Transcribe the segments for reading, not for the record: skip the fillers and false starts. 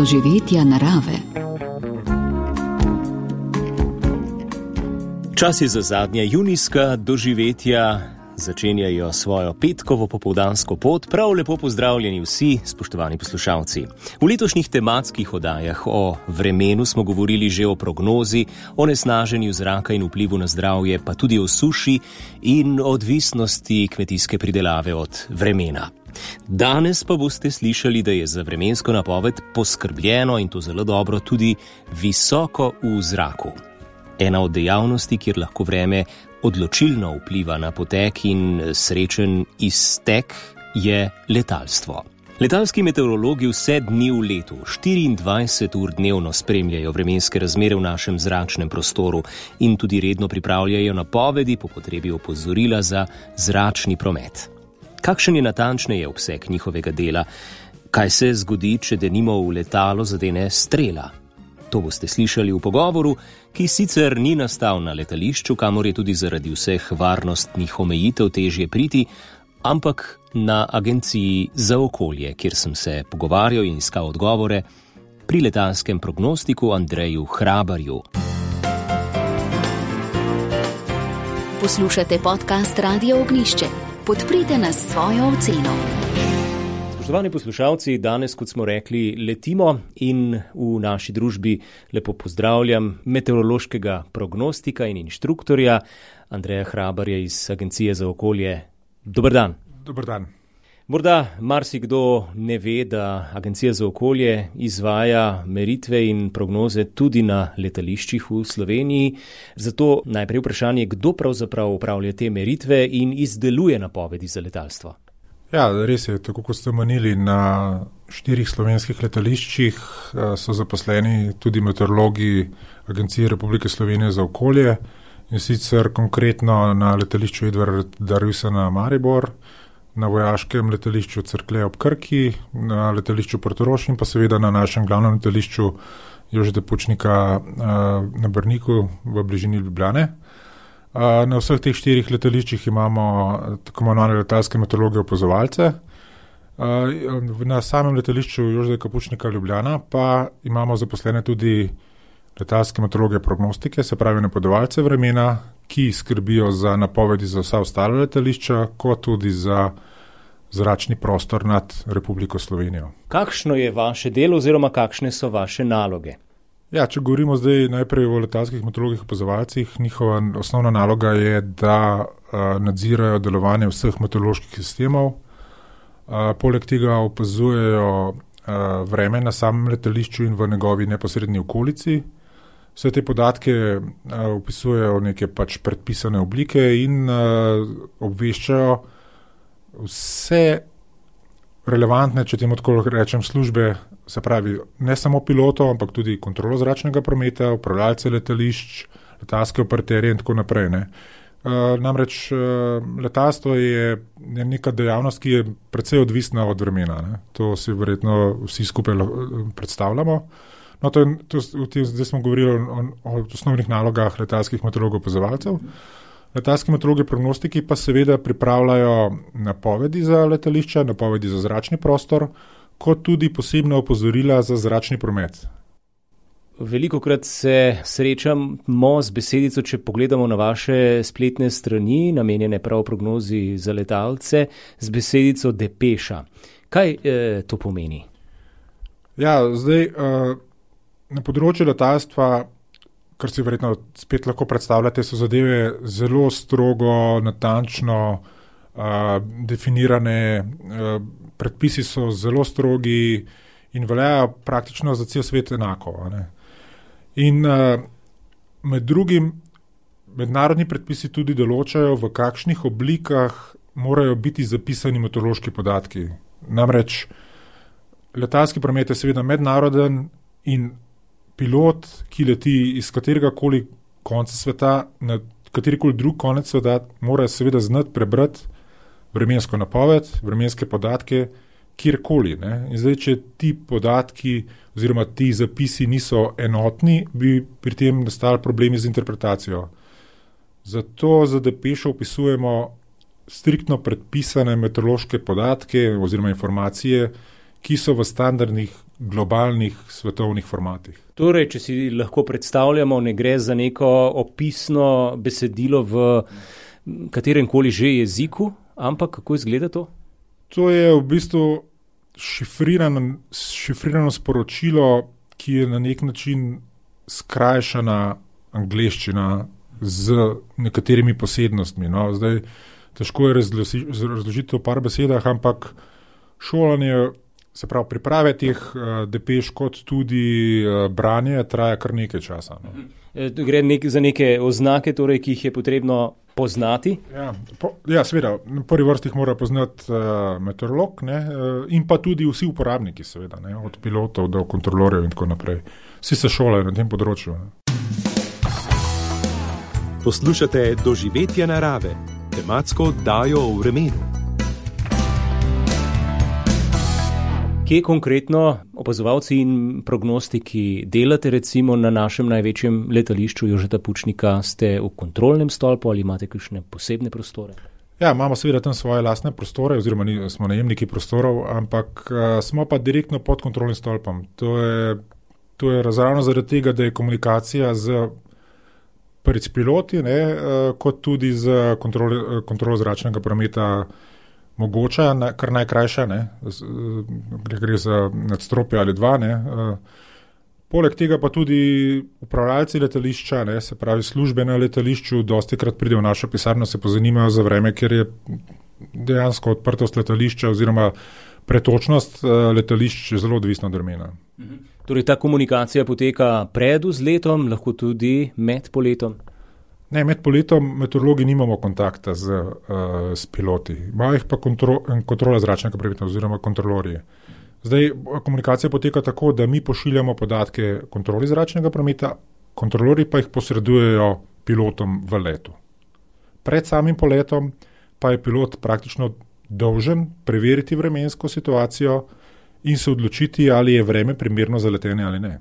doživetja narave. Čas je za zadnja junijska doživetja. Začenjajo svojo petkovo popoldansko pot. Prav lepo pozdravljeni vsi, spoštovani poslušalci. V letošnjih tematskih oddajah o vremenu smo govorili že o prognozi, o nesnaženju zraka in vplivu na zdravje, pa tudi o suši in odvisnosti kmetijske pridelave od vremena. Danes pa boste slišali, da je za vremensko napoved poskrbljeno, in to zelo dobro, tudi visoko v zraku. Ena od dejavnosti, kjer lahko vreme odločilno vpliva na potek in srečen iztek, je letalstvo. Letalski meteorologi vse dni v letu, 24 ur dnevno spremljajo vremenske razmere v našem zračnem prostoru in tudi redno pripravljajo napovedi, po potrebi opozorila za zračni promet. Kakšen je natančneje obseg njihovega dela? Kaj se zgodi, če denimo v letalo zadene strela? To boste slišali v pogovoru, ki sicer ni nastal na letališču, kamor je tudi zaradi vseh varnostnih omejitev težje priti, ampak na Agenciji za okolje, kjer sem se pogovarjal in iskal odgovore pri letalskem prognostiku Andreju Hrabarju. Poslušate podcast Radio Ognjišče. Podprite nas s svojo oceno. Spoštovani poslušalci, danes, kot smo rekli, letimo in v naši družbi lepo pozdravljam meteorološkega prognostika in inštruktorja Andreja Hrabarja iz Agencije za okolje. Dober dan. Dober dan. Morda marsikdo ne ve, da Agencija za okolje izvaja meritve in prognoze tudi na letališčih v Sloveniji. Zato najprej vprašanje, kdo pravzaprav upravlja te meritve in izdeluje napovedi za letalstvo? Ja, res je, tako kot ste omenili, na 4 slovenskih letališčih so zaposleni tudi meteorologi Agencije Republike Slovenije za okolje, in sicer konkretno na letališču Edvarda Rusjana Maribor, na vojaškem letališču Cerklje ob Krki, na letališču Portorož in pa seveda na našem glavnem letališču Jožeta Pučnika na Brniku v bližini Ljubljane. Na vseh teh 4 letališčih imamo tako imenovane letalske meteorologe opazovalce. Na samem letališču Jožeta Pučnika Ljubljana pa imamo zaposlene tudi letalske meteorologe prognostike, se pravi napovedovalce vremena, ki skrbijo za napovedi za vsa ostala letališča, kot tudi za zračni prostor nad Republiko Slovenijo. Kakšno je vaše delo oziroma kakšne so vaše naloge? Ja, če govorimo zdaj najprej o letalskih meteorologih opazovalcih, njihova osnovna naloga je, da nadzirajo delovanje vseh meteoroloških sistemov. Poleg tega opazujejo vreme na samem letališču in v njegovi neposredni okolici. Vse te podatke opisujejo neke predpisane oblike in obveščajo vse relevantne, če temu tako rečem, službe, se pravi ne samo pilotov, ampak tudi kontrolo zračnega prometa, upravljalce letališč, letalske operaterje in tako naprej. Namreč letalstvo je neka dejavnost, ki je precej odvisna od vremena. To si verjetno vsi skupaj predstavljamo. Zdaj smo govorili o osnovnih nalogah letalskih meteorologov opazovalcev. Letalski meteorologi prognostiki pa seveda pripravljajo napovedi za letališča, napovedi za zračni prostor, kot tudi posebna opozorila za zračni promet. Velikokrat se srečamo z besedico, če pogledamo na vaše spletne strani, namenjene prav prognozi za letalce, z besedico depeša. Kaj to pomeni? Ja, zdaj na področju letalstva, kar si verjetno spet lahko predstavljate, so zadeve zelo strogo, natančno definirane, predpisi so zelo strogi in veljajo praktično za cel svet enako. In med drugim mednarodni predpisi tudi določajo, v kakšnih oblikah morajo biti zapisani meteorološki podatki. Namreč letalski promet je seveda mednaroden in pilot, ki leti iz kateregakoli konca sveta, na katerikoli drug konec sveta, mora seveda znati prebrati vremensko napoved, vremenske podatke, kjerkoli. In zdaj, če ti podatki oziroma ti zapisi niso enotni, bi pri tem nastali problemi z interpretacijo. Zato za depešo opisujemo striktno predpisane meteorološke podatke oziroma informacije, ki so v standardnih globalnih svetovnih formatih. Torej, če si lahko predstavljamo, ne gre za neko opisno besedilo v katerem koli že jeziku, ampak kako izgleda to? To je v bistvu šifrirano sporočilo, ki je na nek način skrajšana angleščina z nekaterimi posebnostmi. No. Zdaj, težko je razložiti to v par besedah, ampak šolanje, se pravi priprave teh depeš kot tudi branje, traja kar nekaj časa. No. Gre za neke oznake, torej, ki jih je potrebno poznati? Ja, seveda. Na prvi vrsti jih mora poznati meteorolog, ne, in pa tudi vsi uporabniki, seveda, ne, od pilotov do kontrolorjev in tako naprej. Vsi se šolajo na tem področju. Ne. Poslušate Doživetja narave, tematsko oddajo o vremenu. Kje konkretno opazovalci in prognostiki delate, recimo na našem največjem letališču Jožeta Pučnika? Ste v kontrolnem stolpu ali imate kakšne posebne prostore? Ja, imamo seveda tam svoje lastne prostore, oziroma smo najemniki prostorov, ampak smo pa direktno pod kontrolnim stolpom. To je ravno zaradi tega, da je komunikacija z piloti, ne, kot tudi z kontrolo zračnega prometa mogoča, kar najkrajša, ne, gre za nadstropje ali dva. Ne. Poleg tega pa tudi upravljalci letališča, ne, se pravi službe na letališču, dostikrat pridejo v našo pisarno, se pozanimajo za vreme, ker je dejansko odprtost letališča oziroma pretočnost letališč zelo odvisna od vremena. Torej ta komunikacija poteka pred vzletom, lahko tudi med poletom? Ne, med poletom meteorologi nimamo kontakta s piloti. Imajo jih pa kontrola zračnega prometa oziroma kontrolorji. Zdaj, komunikacija poteka tako, da mi pošiljamo podatke kontroli zračnega prometa, kontrolorji pa jih posredujejo pilotom v letu. Pred samim poletom pa je pilot praktično dolžen preveriti vremensko situacijo in se odločiti, ali je vreme primerno za letenje ali ne.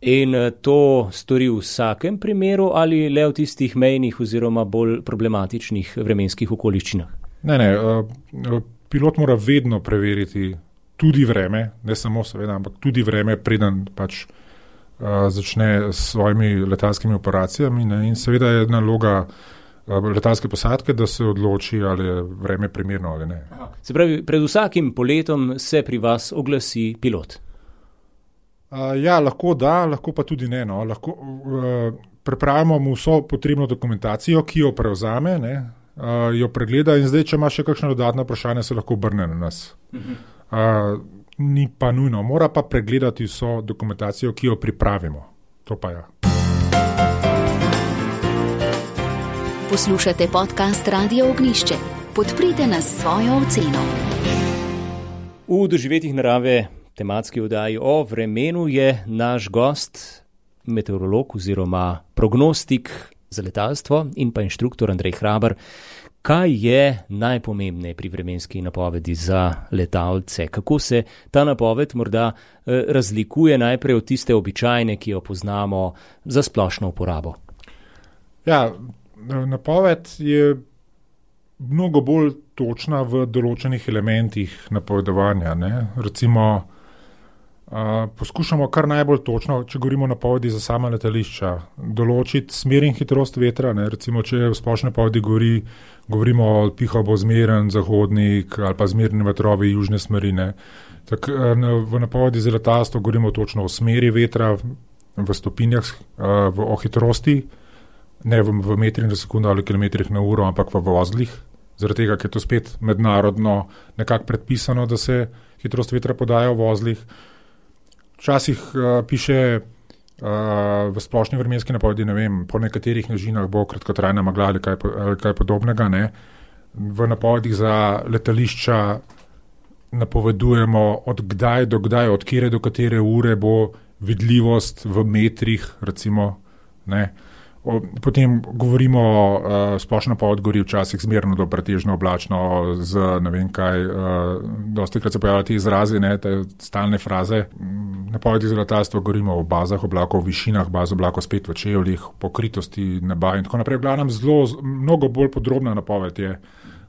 In to stori v vsakem primeru ali le v tistih mejnih oziroma bolj problematičnih vremenskih okoliščinah? Ne, pilot mora vedno preveriti tudi vreme, ne samo seveda, ampak tudi vreme, preden pač začne s svojimi letalskimi operacijami, ne, in seveda je naloga letalske posadke, da se odloči, ali je vreme primerno ali ne. Se pravi, pred vsakim poletom se pri vas oglasi pilot? Ja, lahko da, lahko pa tudi ne. No. Pripravimo mu vso potrebno dokumentacijo, ki jo prevzame, ne, jo pregleda in zdaj, če ima še kakšno dodatno vprašanje, se lahko obrne na nas. Ni pa nujno, mora pa pregledati vso dokumentacijo, ki jo pripravimo. To pa ja. Poslušate podcast Radio Ognjišče. Podprite nas s svojo oceno. V Doživetjih narave tematski oddaji o vremenu je naš gost, meteorolog oziroma prognostik za letalstvo in pa inštruktor Andrej Hrabar. Kaj je najpomembnejše pri vremenski napovedi za letalce? Kako se ta napoved morda razlikuje najprej od tiste običajne, ki jo poznamo za splošno uporabo? Ja, napoved je mnogo bolj točna v določenih elementih napovedovanja. Ne? Recimo, poskušamo kar najbolj točno, če govorimo o napovedi za sama letališča, določiti smer in hitrost vetra. Ne? Recimo, če v splošni napovedi govorimo o pihal bo zmeren zahodnik ali pa zmerni vetrovi južne smeri. V napovedi za letalstvo govorimo točno o smeri vetra v stopinjah, o hitrosti, ne v metrih na sekundo ali kilometrih na uro, ampak v vozlih. Zaradi tega, ker je to spet mednarodno nekako predpisano, da se hitrost vetra podaja v vozlih. Včasih piše v splošni vremenski napovedi, ne vem, po nekaterih nižinah bo kratkotrajna megla ali kaj podobnega. Ne. V napovedih za letališča napovedujemo od kdaj do kdaj, od kere do katere ure bo vidljivost v metrih, recimo. Ne. Potem govorimo, splošna napoved govori včasih zmerno do pretežno oblačno z ne vem kaj, dostikrat se pojavljajo ti izrazi, ne, te stalne fraze. Napovedi za letalstvo govorimo o bazah oblakov, o višinah baz oblakov, spet v čevljih, pokritosti neba in tako naprej. V glavnem mnogo bolj podrobna napoved je,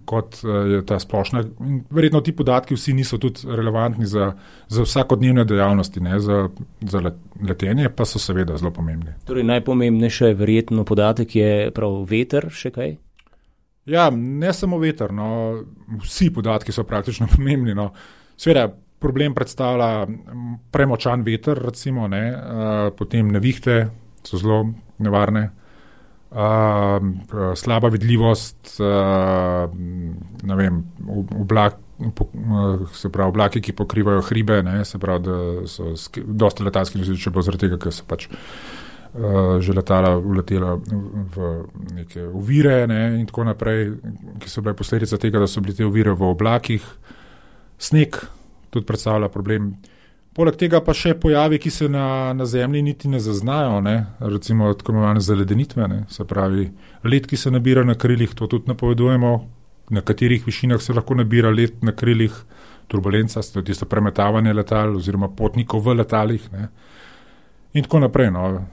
kot je ta splošna. In verjetno ti podatki vsi niso tudi relevantni za vsakodnevne dejavnosti, ne, za letenje, pa so seveda zelo pomembni. Torej najpomembnejše verjetno podatek je prav veter, še kaj? Ja, ne samo veter, no, vsi podatki so praktično pomembni. No. Seveda, problem predstavlja premočan veter, recimo, ne, potem nevihte so zelo nevarne, slaba vidljivost, ne vem, oblaki, ki pokrivajo hribe, ne, se pravi, da so dosti letalskih nesreč, če bo zaradi tega, ker so pač že letala uletela v neke ovire, ne, in tako naprej, ki so bile posledica tega, da so bile te ovire v oblakih. Sneg tudi predstavlja problem. Poleg tega pa še pojavi, ki se na zemlji niti ne zaznajo, ne, recimo tako imenovane zaledenitve, ne, se pravi led, ki se nabira na krilih, to tudi napovedujemo, na katerih višinah se lahko nabira led na krilih, turbulenca, tisto premetavanje letal oziroma potnikov v letalih, ne, in tako naprej, no.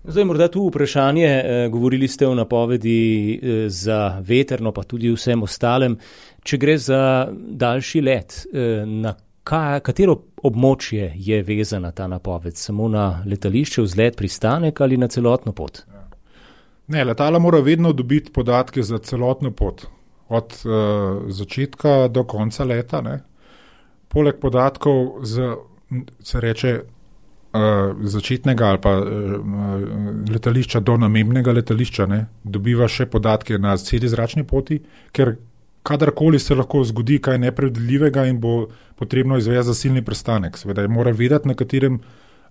Zdaj morda tu vprašanje, govorili ste o napovedi za veterno, pa tudi vsem ostalem. Če gre za daljši let, na katero območje je vezana ta napoved? Samo na letališče, vzlet, pristanek ali na celotno pot? Ne, letala mora vedno dobiti podatke za celotno pot, od začetka do konca leta. Ne. Poleg podatkov se reče začetnega ali pa letališča do namembnega letališča, ne, dobiva še podatke na celi zračni poti, ker kadarkoli se lahko zgodi kaj nepredvidljivega in bo potrebno izvesti zasilni pristanek. Seveda mora vedeti, na katerem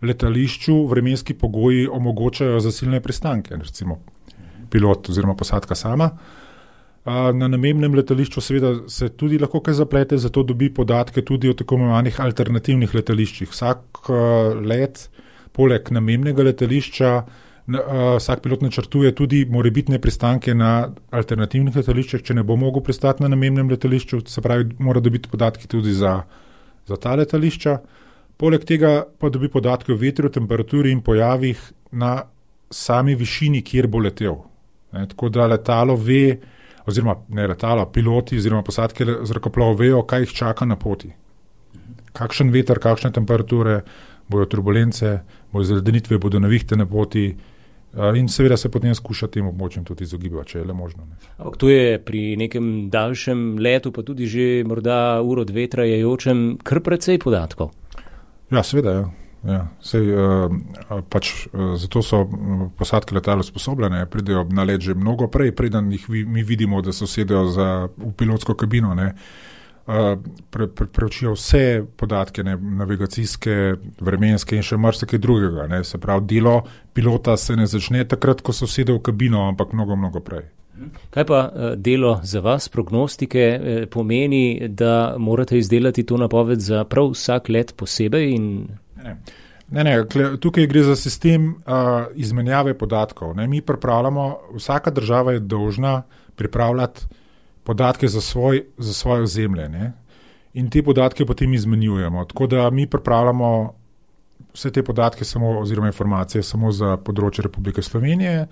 letališču vremenski pogoji omogočajo zasilne pristanke, recimo pilot oziroma posadka sama. Na namembnem letališču seveda se tudi lahko kaj zaplete, zato dobi podatke tudi o tako imenovanih alternativnih letališčih. Vsak let, poleg namembnega letališča, vsak pilot načrtuje tudi morebitne pristanke na alternativnih letališčih, če ne bo mogel pristati na namembnem letališču, se pravi, mora dobiti podatke tudi za ta letališča. Poleg tega pa dobi podatke o vetru, temperaturi in pojavih na sami višini, kjer bo letel. Tako da letalo ve, oziroma ne letalo, piloti oziroma posadke zrakoplov vejo, kaj jih čaka na poti. Kakšen veter, kakšne temperature, bojo turbulence, bojo zaledenitve, bodo nevihte na poti in seveda se potem skuša tem območjem tudi izogibati, če je le možno. Ne. Ampak to je pri nekem daljšem letu, pa tudi že morda uro, dve trajajočem, kar precej podatkov. Ja, seveda, ja. Ja, zato so posadke letal usposobljene, pridejo na let že mnogo prej, preden jih mi vidimo, da so sedejo v pilotsko kabino, ne. Preučijo vse podatke, ne, navigacijske, vremenske in še marsikaj drugega, ne. Se pravi, delo pilota se ne začne takrat, ko so sedel v kabino, ampak mnogo prej. Kaj pa delo za vas, prognostike, pomeni, da morate izdelati to napoved za prav vsak let posebej in... Ne, tukaj gre za sistem izmenjave podatkov. Ne. Mi pripravljamo, vsaka država je dolžna pripravljati podatke za svoje ozemlje, ne. In te podatke potem izmenjujemo. Tako da mi pripravljamo vse te podatke oziroma informacije samo za področje Republike Slovenije,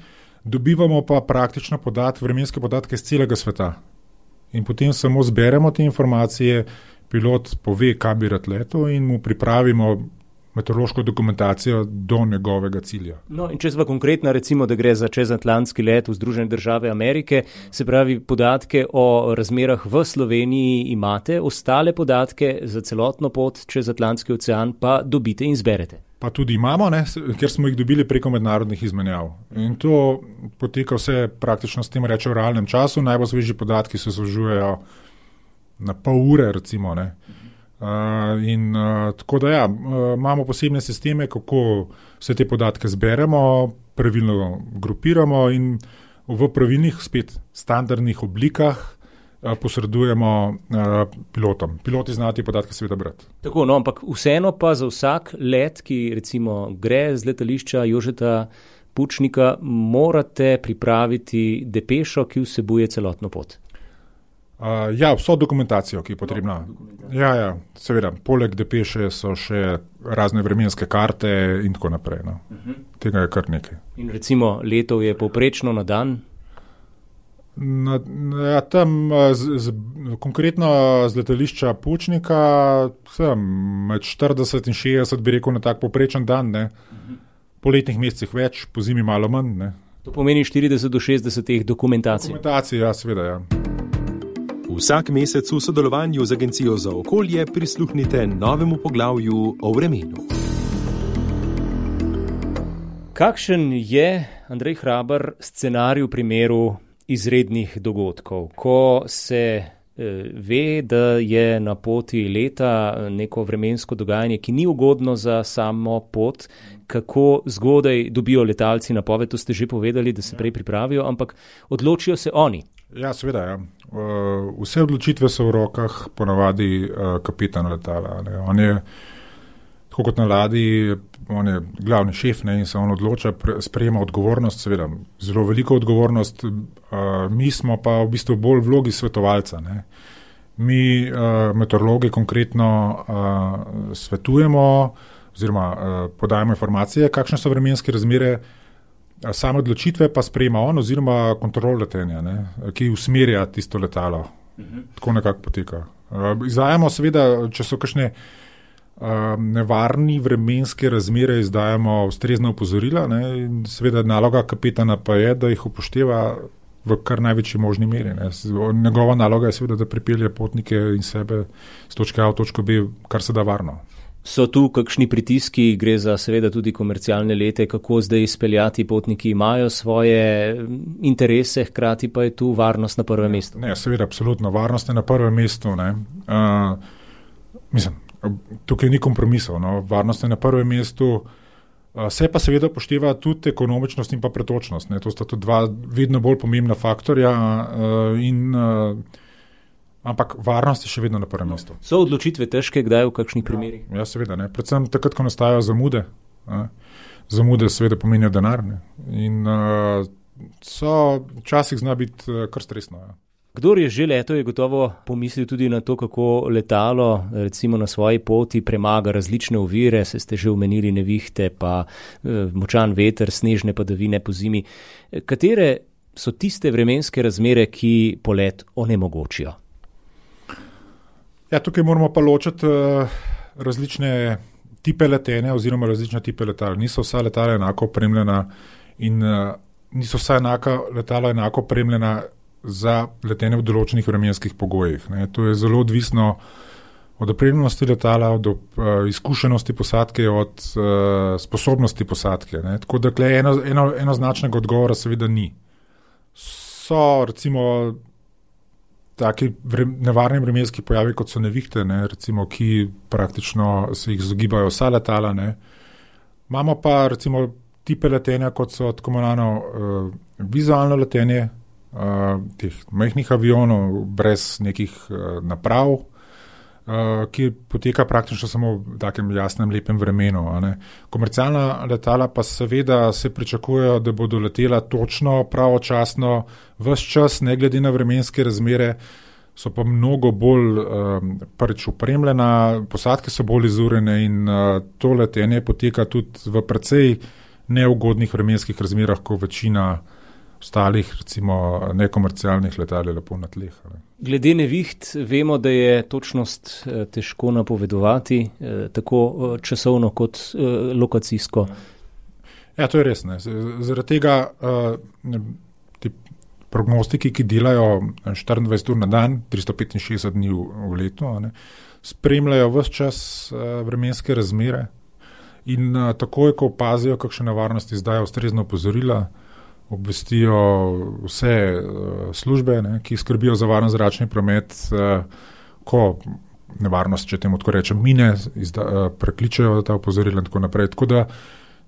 dobivamo pa praktično vremenske podatke iz celega sveta. In potem samo zberemo te informacije, pilot pove, kam bi rad letel in mu pripravimo meteorološko dokumentacijo do njegovega cilja. No, in če sva konkretna, recimo, da gre za čezatlantski let v Združene države Amerike, se pravi, podatke o razmerah v Sloveniji imate, ostale podatke za celotno pot čez Atlantski ocean pa dobite in zberete. Pa tudi imamo, ne, ker smo jih dobili preko mednarodnih izmenjav. In to poteka vse praktično s tem reče v realnem času, najbolj sveži podatki se zožujejo na pol ure, recimo, ne. Tako da ja, imamo posebne sisteme, kako vse te podatke zberemo, pravilno grupiramo in v pravilnih, spet standardnih oblikah posredujemo pilotom. Piloti znajo te podatke seveda brati. Tako, no, ampak vseeno pa za vsak let, ki recimo gre z letališča Jožeta Pučnika, morate pripraviti depešo, ki vsebuje celotno pot. Ja, vso dokumentacijo, ki je potrebna. Ja, seveda, poleg depeše so še razne vremenske karte in tako naprej. No. Tega je kar nekaj. In recimo letov je povprečno na dan? Tam konkretno z letališča Pučnika med 40 in 60 bi rekel na tak povprečen dan, ne. Po letnih mesecih več, po zimi malo manj. Ne. To pomeni 40 do 60 teh dokumentacij. Dokumentacij, ja, seveda, ja. Vsak mesec v sodelovanju z Agencijo za okolje prisluhnite novemu poglavju o vremenu. Kakšen je, Andrej Hrabar, scenarij v primeru izrednih dogodkov, ko se ve, da je na poti leta neko vremensko dogajanje, ki ni ugodno za samo pot, kako zgodaj dobijo letalci napoved, to ste že povedali, da se prej pripravijo, ampak odločijo se oni. Ja, seveda, ja. Vse odločitve so v rokah ponavadi kapitana letala. Ne. On je, tako kot na ladji, on je glavni šef, ne, in se on odloča, sprejema odgovornost, seveda, zelo veliko odgovornost. Mi smo pa v bistvu bolj v vlogi svetovalca. Ne. Mi, meteorologi, konkretno svetujemo oziroma podajamo informacije, kakšne so vremenske razmere, same odločitve pa sprejema on oziroma kontrol letenja, ne, ki usmerja tisto letalo. Tako nekako poteka. Izdajamo seveda, če so kakšne nevarni vremenske razmere, izdajamo ustrezna opozorila, ne, in seveda naloga kapitana pa je, da jih upošteva v kar največji možni meri. Ne. Njegova naloga je seveda, da pripelje potnike in sebe z točke A v točko B, kar se da varno. So tu kakšni pritiski, gre za seveda tudi komercialne lete, kako zdaj izpeljati, potniki imajo svoje interese, hkrati pa je tu varnost na prvem mestu? Ne, seveda, absolutno, varnost je na prvem mestu. Ne. Tukaj ni kompromisov, no. Varnost je na prvem mestu, se pa seveda pošteva tudi ekonomičnost in pa pretočnost. Ne. To sta tudi dva vedno bolj pomembna faktorja ampak varnost je še vedno na prvem mestu. So odločitve težke, kdaj v kakšnih primerih? Ja, seveda, ne. Predvsem takrat, ko nastajajo zamude. Zamude seveda pomenijo denar, ne. In včasih zna biti kar stresno. Ja. Kdor je že letel, je gotovo pomislil tudi na to, kako letalo recimo na svoji poti premaga različne ovire, se ste že omenili nevihte, pa močan veter, snežne padavine po zimi. Katere so tiste vremenske razmere, ki polet onemogočijo? Ja, tukaj moramo pa ločiti različne tipe letenja oziroma različne tipe letal. Niso vsa letala enako opremljena in niso vsa letala enako opremljena za letenje v določenih vremenskih pogojih. Ne. To je zelo odvisno od opremljenosti letala, od izkušenosti posadke, od sposobnosti posadke. Ne. Tako da enoznačnega odgovora seveda ni. So recimo taki nevarni vremenski pojavi, kot so nevihte, ne, recimo, ki praktično se jih izogibajo vsa letala. Ne. Imamo pa recimo tipe letenja, kot so tako imenovano vizualno letenje, teh majhnih avionov brez nekih naprav, ki poteka praktično samo v takem jasnem, lepem vremenu. Ne. Komercialna letala pa seveda se pričakujejo, da bodo letela točno, pravočasno, ves čas, ne glede na vremenske razmere, so pa mnogo bolj prvič opremljena, posadke so bolj izurjene in to letenje poteka tudi v precej neugodnih vremenskih razmerah, ko večina ostalih, recimo nekomercialnih letal je lepo na tleh. Ne. Glede neviht vemo, da je točnost težko napovedovati, tako časovno kot lokacijsko. Ja, to je res. Ne. Zaradi tega ti prognostiki, ki delajo 24 ur na dan, 365 dni v letu, ne, spremljajo ves čas vremenske razmere in takoj, ko opazijo kakšne nevarnosti, izdajo ustrezno opozorila, obvestijo vse službe, ne, ki skrbijo za varen zračni promet, ko nevarnost, če temu tako rečem, mine, prekličejo ta opozorila in tako naprej. Tako da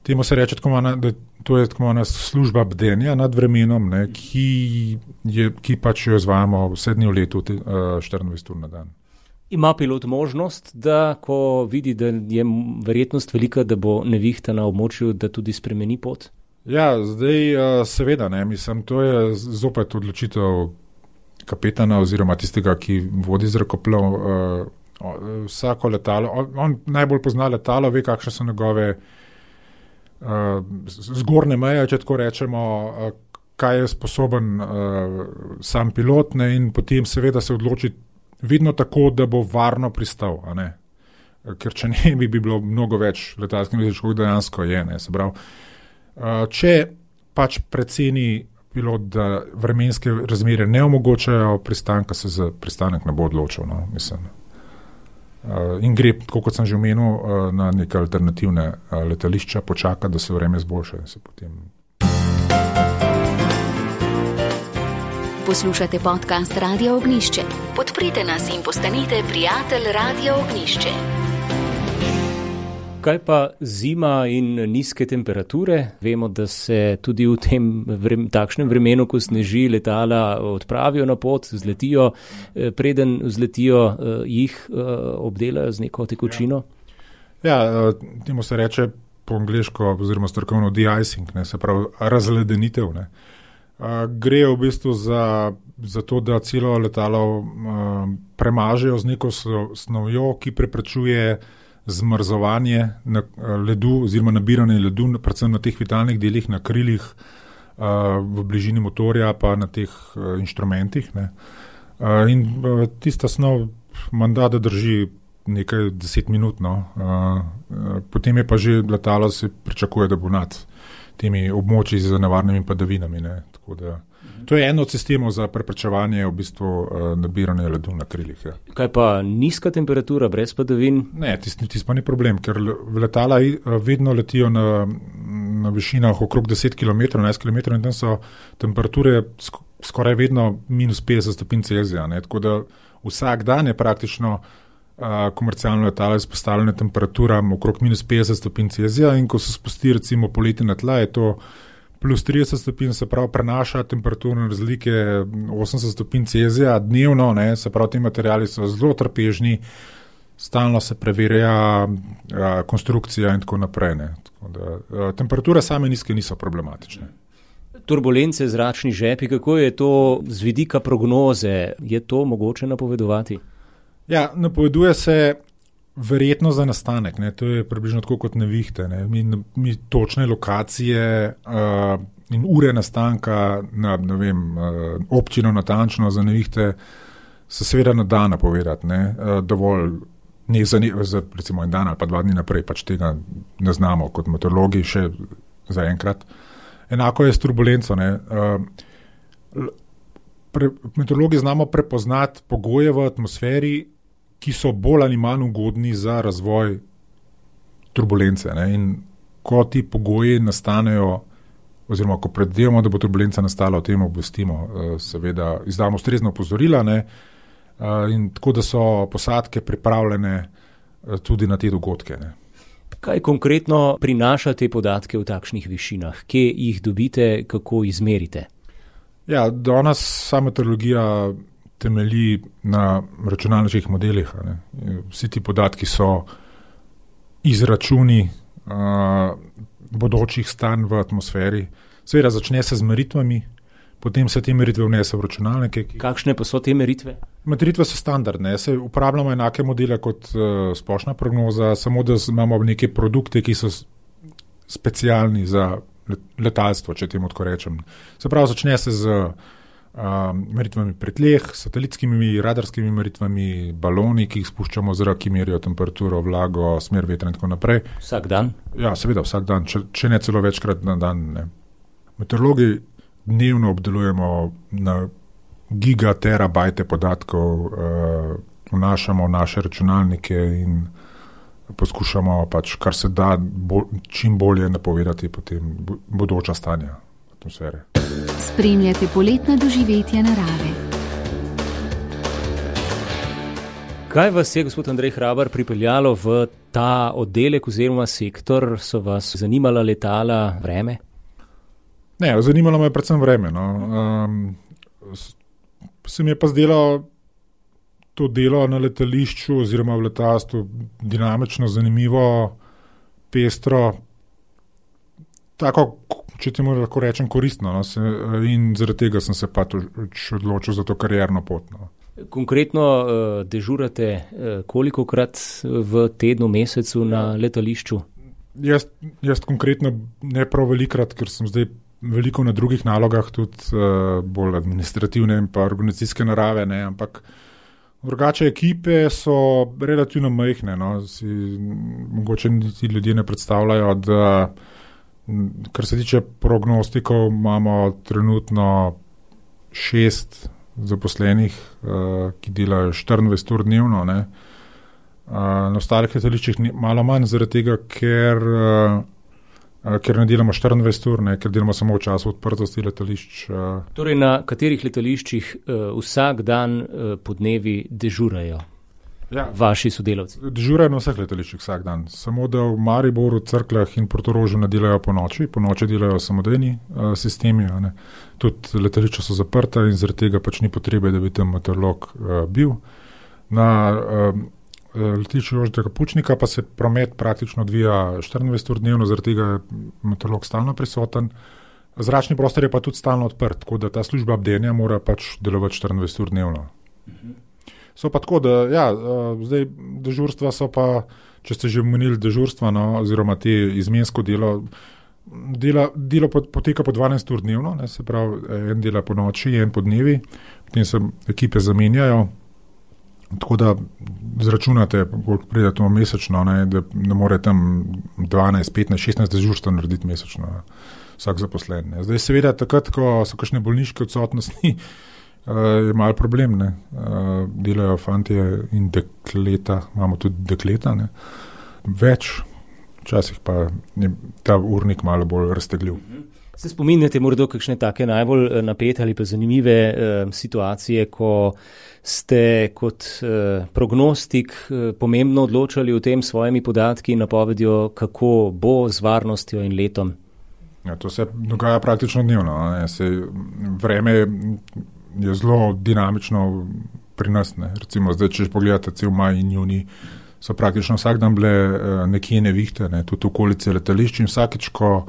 temu se reče, da to je tako služba bdenja nad vremenom, ne, ki pač jo izvajamo vse dni v letu, 24 ur na dan. Ima pilot možnost, da ko vidi, da je verjetnost velika, da bo nevihta na območju, da tudi spremeni pot? Ja, zdaj seveda, ne, mislim, to je zopet odločitev kapetana oziroma tistega, ki vodi zrakoplov. Vsako letalo, on najbolj pozna letalo, ve, kakšne so njegove zgornje meje, če tako rečemo, kaj je sposoben sam pilot, ne, in potem seveda se odloči vedno tako, da bo varno pristal, a ne. Ker če ne, bi bilo mnogo več letalskih nesreč, kot dejansko je, ne, se pravi. Če pač preceni pilot, da vremenske razmere ne omogočajo pristanka, se za pristanek ne bo odločil, no, mislim. In gre, kot sem že omenil, na neke alternativne letališča, počaka, da se vreme zboljša in se potem. Poslušate podcast Radio Ognjišče. Podprite nas in postanite prijatelj Radio Ognjišče. Kaj pa zima in nizke temperature? Vemo, da se tudi v tem takšnem vremenu, ko sneži, letala odpravijo na pot, zletijo, preden vzletijo, jih obdelajo z neko tekočino? Ja, temu se reče po angleško oziroma strokovno de-icing, ne, se pravi razledenitev, ne. Gre v bistvu za to, da celo letalo premažejo z neko snovjo, ki preprečuje zmrzovanje na ledu oziroma nabiranje ledu, predvsem na teh vitalnih delih, na krilih, v bližini motorja pa na teh inštrumentih, ne. In tista snov menda, da drži nekaj 10 minut, no. Potem je pa že letalo, se pričakuje, da bo nad temi območji z nevarnimi padavinami, ne. Tako da to je eno od sistemov za preprečevanje v bistvu nabiranja ledu na krilih. Ja. Kaj pa nizka temperatura brez padavin? Ne, tisti pa ni problem, ker letala vedno letijo na višinah okrog 10 km, 11 km in tam so temperature skoraj vedno minus 50 stopinj Celzija, ne. Tako da vsak dan je praktično komercialno letalo izpostavljeno temperaturam okrog minus 50 stopinj Celzija in ko se spusti recimo poleti na tla, je to plus 30 stopinj, se pravi prenaša temperaturne razlike 80 stopinj Celzija dnevno, ne, se pravi ti materiali so zelo trpežni, stalno se preverja konstrukcija in tako naprej, ne. Tako da, temperature same nizke niso problematične. Turbulence, zračni žepi, kako je to z vidika prognoze? Je to mogoče napovedovati? Ja, napoveduje se verjetno za nastanek, ne. To je približno tako kot nevihte, ne. Mi točne lokacije in ure nastanka na, ne vem, občino natančno za nevihte se seveda ne da napovedati, ne. Dovolj za recimo en dan ali pa 2 dni naprej, pač tega ne znamo kot meteorologi še zaenkrat. Enako je s turbulenco, ne. Meteorologi znamo prepoznati pogoje v atmosferi, ki so bolj ali manj ugodni za razvoj turbulence, ne. In ko ti pogoji nastanejo, oziroma ko predvidevamo, da bo turbulenca nastala, o tem obvestimo, seveda izdamo ustrezna opozorila, ne. In tako, da so posadke pripravljene tudi na te dogodke, ne. Kaj konkretno prinaša te podatke v takšnih višinah? Kje jih dobite, kako izmerite? Ja, danes sama meteorologija temelji na računalniških modelih, ne. Vsi ti podatki so izračuni bodočih stanj v atmosferi. Seveda začne se z meritvami, potem se te meritve vnese v računalnike. Kakšne pa so te meritve? Meritve so standardne, se uporabljamo enake modele kot splošna prognoza, samo da imamo neke produkte, ki so specialni za letalstvo, če temu tako rečem. Se pravi, začne se z meritvami pri tleh, satelitskimi, radarskimi meritvami, baloni, ki jih spuščamo v zrak, ki merijo temperaturo, vlago, smer vetra in tako naprej. Vsak dan? Ja, seveda vsak dan, če ne celo večkrat na dan, ne. Meteorologi dnevno obdelujemo na gigaterabajte podatkov, vnašamo naše računalnike in poskušamo pač, kar se da, čim bolje napovedati potem bodoča stanja atmosfere. Spremljate poletna doživetja narave. Kaj vas je, gospod Andrej Hrabar, pripeljalo v ta oddelek oziroma sektor? So vas zanimala letala, vreme? Ne, zanimalo me predvsem vreme, no. Se mi je pa zdelo to delo na letališču oziroma v letalstvu dinamično, zanimivo, pestro, tako, če temu lahko rečem, koristno, no. In zaradi tega sem se pa odločil za to karierno pot, no. Konkretno dežurate kolikokrat v tednu, mesecu na letališču? Jaz konkretno ne prav velikrat, ker sem zdaj veliko na drugih nalogah, tudi bolj administrativne in pa organizacijske narave, ne, ampak drugače ekipe so relativno majhne, no, mogoče ti ljudje ne predstavljajo, da kar se tiče prognostikov, imamo trenutno 6 zaposlenih, ki delajo 24 ur dnevno, ne. Na ostalih letališčih malo manj, zaradi tega, ker ne delamo 24 ur, ne, ker delamo samo v času odprtosti letališč. Torej, na katerih letališčih vsak dan podnevi dežurajo vaši sodelavci? Dežurajo na vseh letališčih vsak dan. Samo da v Mariboru, Cerkljah in Portorožu ne delajo po noči delajo samodejni sistemi. Ne. Tudi letališča so zaprta in zaradi tega pač ni potrebe, da bi tam meteorolog bil. Na letališču Jožeta Pučnika pa se promet praktično odvija 24 ur dnevno, zaradi tega je meteorolog stalno prisoten. Zračni prostor je pa tudi stalno odprt, tako da ta služba bdenja mora pač delovati 24 ur dnevno. So pa tako, da zdaj dežurstva so pa, če ste že omenili dežurstva, no, oziroma te izmensko delo poteka po 12 ur dnevno, ne, se pravi, en dela po noči, en po dnevi, potem se ekipe zamenjajo. Tako da zračunate, koliko pride to mesečno, ne, da ne more tam 12, 15, 16 dežurstva narediti mesečno vsak zaposlen. Ne. Zdaj seveda takrat, ko so kakšne bolniške odsotnosti, je malo problem. Ne. Delajo fantje in dekleta, imamo tudi dekleta, ne. Več, včasih pa je ta urnik malo bolj raztegljiv. Se spominjate morda kakšne take najbolj napete ali pa zanimive situacije, ko ste kot prognostik pomembno odločali o tem svojimi podatki in napovedjo, kako bo z varnostjo in letom? Ja, to se dogaja praktično dnevno. Vreme je zelo dinamično pri nas. Ne. Recimo zdaj, če pogledate cel maj in junij, so praktično vsak dan bile nekje nevihte, ne, tudi okolice letališč in vsakič, ko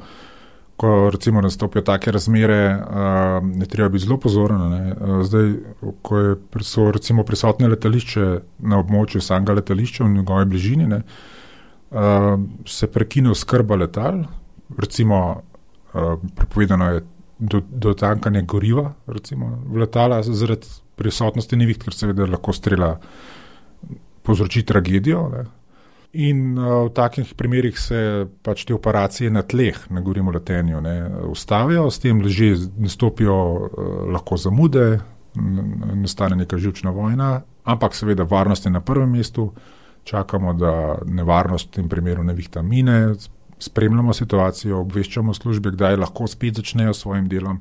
recimo nastopijo take razmere, je treba biti zelo pozoren. Ne. Zdaj, ko so recimo prisotne letališče na območju samega letališča v njegovi bližini, ne, se prekine oskrba letal, recimo prepovedano je do tankanja goriva recimo v letala zaradi prisotnosti neviht, ker seveda lahko strela povzroči tragedijo. Ne. In v takih primerih se pač te operacije na tleh, ne govorimo o letenju, ne, ustavijo, s tem že nastopijo lahko zamude, nastane neka živčna vojna, ampak seveda varnost je na prvem mestu, čakamo, da nevarnost v tem primeru nevihta mine, spremljamo situacijo, obveščamo službe, kdaj lahko spet začnejo s svojim delom.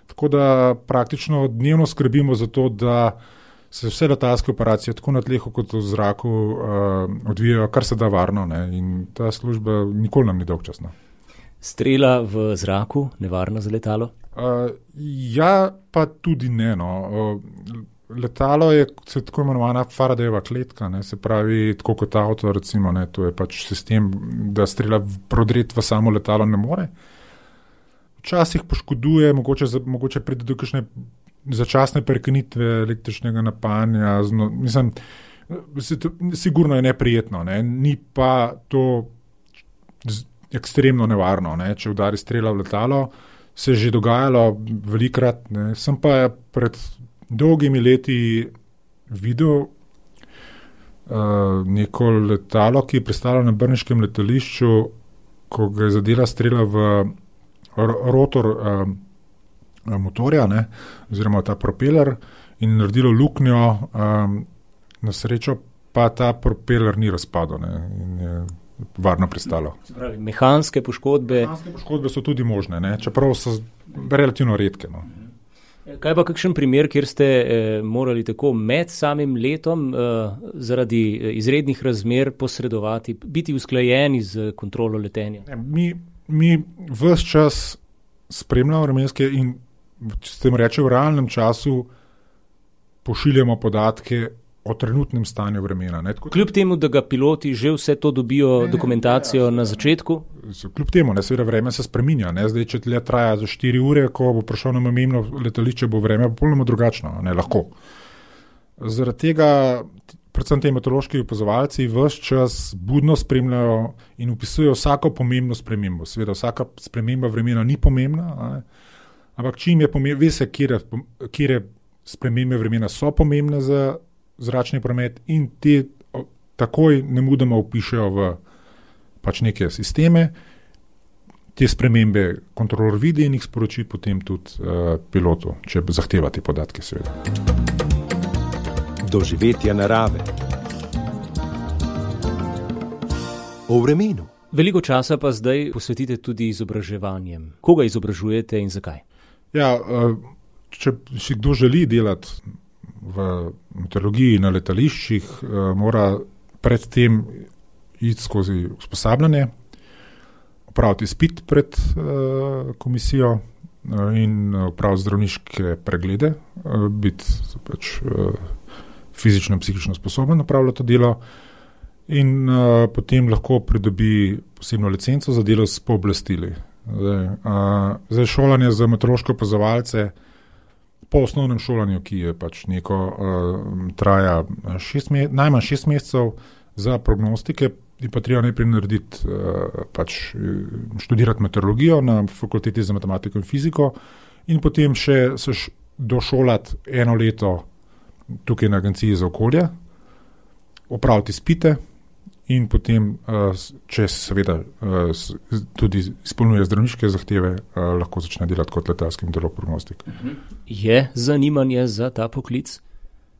Tako da praktično dnevno skrbimo za to, da se vse letalske operacije tako na tlehu kot v zraku odvijajo kar se da varno, ne, in ta služba nikoli nam ni dolgčasna. Strela v zraku, nevarna za letalo? Ja, pa tudi ne. No. Letalo je tako imenovana Faradayeva kletka, ne, se pravi, tako kot avto, recimo, ne, to je pač sistem, da strela prodreti v samo letalo ne more. Včasih poškoduje, mogoče pride do kakšne začasne prekinitve električnega napajanja, mislim, sigurno je neprijetno, ne, ni pa to ekstremno nevarno, ne, če udari strela v letalo, se je že dogajalo velikrat, ne, sem pa pred dolgimi leti videl neko letalo, ki je pristalo na brniškem letališču, ko ga je zadela strela v rotor motorja, ne, oziroma ta propeler in naredilo luknjo, na srečo pa ta propeler ni razpadel, ne, in je varno pristalo. Pravi, mehanske poškodbe? Mehanske poškodbe so tudi možne, ne, čeprav so relativno redke. No. Kaj pa kakšen primer, kjer ste morali tako med samim letom zaradi izrednih razmer posredovati, biti usklajeni z kontrolo letenja? Mi ves čas spremljamo vremenske in s tem reče v realnem času pošiljamo podatke o trenutnem stanju vremena. Ne? Kljub temu, da ga piloti že vse to dobijo dokumentacijo na začetku? Kljub temu, ne, seveda vreme se spreminja. Ne? Zdaj, če let traja za 4 ure, ko bo prišel na namembno letališče, bo vreme popolnoma drugačno, ne, lahko. Zaradi tega predvsem te meteorološki opazovalci ves čas budno spremljajo in opisujejo vsako pomembno spremembo. Seveda vsaka sprememba vremena ni pomembna, ampak čim je pomembno, ve se, kire spremembe vremena so pomembne za zračni promet in te takoj nemudoma vpišejo v pač neke sisteme. Te spremembe kontrolor vidi in jih sporoči potem tudi pilotu, če zahteva te podatke, seveda. Doživetja narave. O vremenu. Veliko časa pa zdaj posvetite tudi izobraževanjem. Koga izobražujete in zakaj? Ja, če si kdo želi delati v meteorologiji na letališčih, mora predtem iti skozi usposabljanje, opraviti izpit pred komisijo in opraviti zdravniške preglede, biti pač fizično in psihično sposoben opravljati to delo in potem lahko pridobi posebno licenco za delo s pooblastili. Zdaj šolanje za meteorološke opazovalce po osnovnem šolanju, ki je pač neko traja najmanj 6 mesecev za prognostike, je pa treba najprej narediti, študirati meteorologijo na fakulteti za matematiko in fiziko in potem še se došolati 1 leto tukaj na Agenciji za okolje, opraviti izpite in potem, če seveda tudi izpolnjuje zdravniške zahteve, lahko začne delati kot letalski meteorolog-prognostik. Je zanimanje za ta poklic?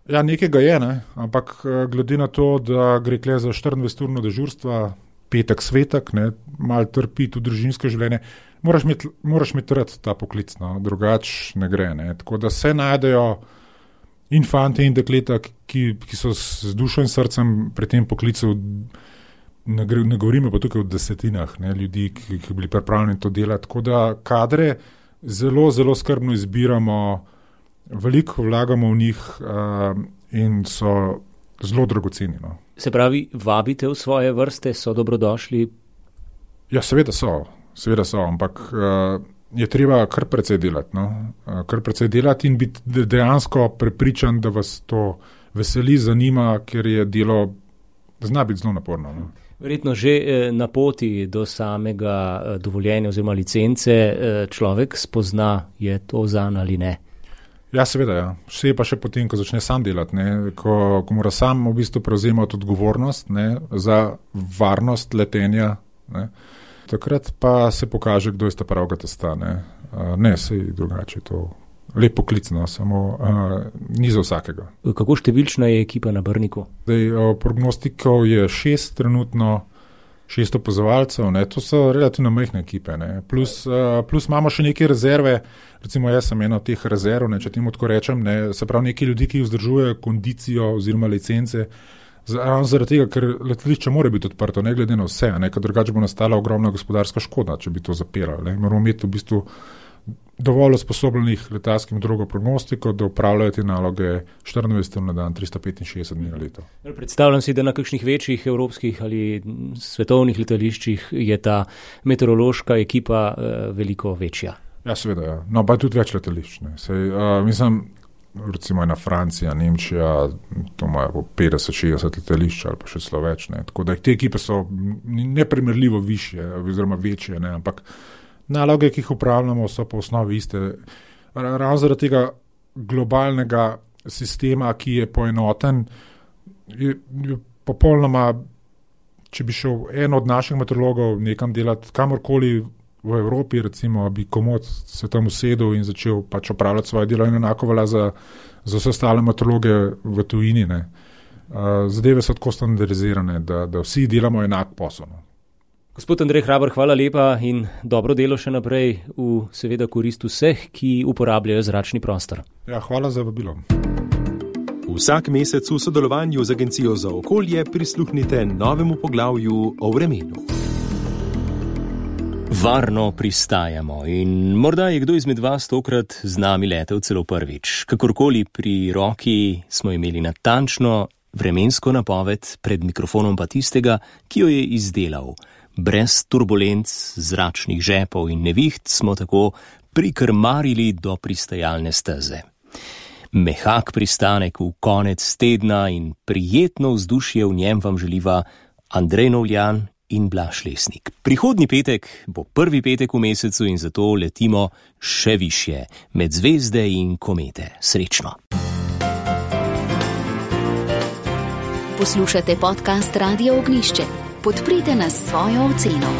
Ja, nekega je, ne? Ampak glede na to, da gre kle za 24-urno dežurstva, petek, svetek, malo trpi tudi družinsko življenje, moraš imeti rad ta poklic, no? Drugače ne gre. Ne? Tako da se najdejo infante in dekleta, ki so z dušo in srcem pri tem poklicu, ne govorimo pa tukaj o desetinah ljudi, ki bili pripravljeni to delati. Tako da kadre zelo, zelo skrbno izbiramo, veliko vlagamo v njih in so zelo dragoceni. No. Se pravi, vabite v svoje vrste, so dobrodošli? Ja, seveda so, ampak je treba kar precej delati. No. Kar precej delati in biti dejansko prepričan, da vas to veseli, zanima, ker je delo zna biti zelo naporno. No. Verjetno že na poti do samega dovoljenja oziroma licence človek spozna, je to zanj ali ne. Ja, seveda, ja. Vse pa še potem, ko začne sam delati, ko mora sam v bistvu prevzemati odgovornost za varnost letenja. Takrat pa se pokaže, kdo je sta pravega testa. Sej drugače, to lep poklic, samo ni za vsakega. Kako številčna je ekipa na Brniku? Prognostikov je 6 trenutno, 6 opazovalcev, to so relativno majhne ekipe. Plus imamo še neke rezerve, recimo jaz sem ena od teh rezerv, če temu tako rečem, se pravi neki ljudi, ki vzdržujejo kondicijo oziroma licence, ravno zaradi tega, ker letališče mora biti odprto, ne glede na vse, ker drugače bo nastala ogromna gospodarska škoda, če bi to zapirali. Moramo imeti v bistvu dovolj usposobljenih letalskih meteorologov-prognostikov, da upravljajo te naloge 24 ur na dan, 365 dni na leto. Predstavljam si, da na kakšnih večjih evropskih ali svetovnih letališčih je ta meteorološka ekipa veliko večja. Ja, seveda, ja. No, pa tudi več letališč. Mislim, recimo ena Francija, Nemčija, to imajo po 50-60 letališč ali pa še celo več. Tako da te ekipe so neprimerljivo višje oziroma večje, ampak naloge, ki jih upravljamo, so po osnovi iste. Ravno zaradi tega globalnega sistema, ki je poenoten, je popolnoma, če bi šel en od naših meteorologov nekam delati kamorkoli v Evropi, recimo, bi komod se tam usedel in začel pač opravljati svoje delo in enako velja za vse ostale meteorologe v tujini. Zadeve so tako standardizirane, da vsi delamo enak posel. Gospod Andrej Hrabar, hvala lepa in dobro delo še naprej v seveda korist vseh, ki uporabljajo zračni prostor. Ja, hvala za vabilo. Vsak mesec v sodelovanju z Agencijo za okolje prisluhnite novemu poglavju o vremenu. Varno pristajamo in morda je kdo izmed vas tokrat z nami letel celo prvič. Kakorkoli, pri roki smo imeli natančno vremensko napoved, pred mikrofonom pa tistega, ki jo je izdelal. Brez turbulenc, zračnih žepov in neviht smo tako prikrmarili do pristajalne steze. Mehak pristanek v konec tedna in prijetno vzdušje v njem vam želiva Andrej Novljan in Blaž Lesnik. Prihodnji petek bo prvi petek v mesecu in zato letimo še višje, med zvezde in komete. Srečno! Poslušate podcast Radio Ognjišče. Podprite nas s svojo oceno.